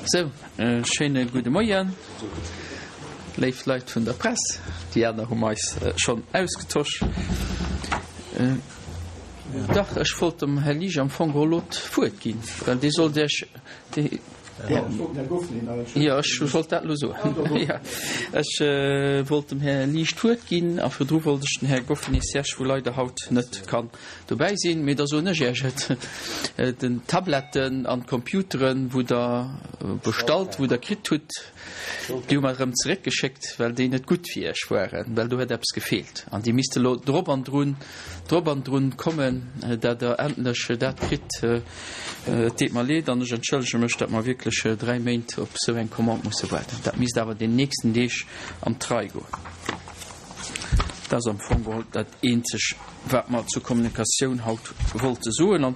Sou, e schéine gudde Moien, léif Leit vun der Press. Déi aner hu mer eis schonn ausgetosch. Dach, ech wollt dem Här Liesch am Fong geholl elo d'Wuert ginn, well dee sollt Iech, dee, jo, ech wollt dat elo soen, jo. Ech wollt dem Här Liesch d'Wuert ginn a virdru wollt ech den Här Goffeny Serge, wou leider haut net kann dobäi sinn, mee da soen ech Iech et, den Tabletten an d'Computeren, wou Der bestallt, wou Der kritt hutt, déi hu mer erëm zeréckgeschéckt, well déi net gutt fir Iech waren, well do huet eppes gefeelt. An déi misste elo drop an drun, drop an drun kommen, dat Der endlech dat kritt. Et deet mer leed an ech entschëllege mech, datt mer wierklech 3 Méint op esou eng Commande musse waarden. Dat misst awer den nächsten Deeg an d'Rei goen. Dat ass am Fong geholl dat eenzeg, wat mer zur Kommunikatioun haut wollte soen.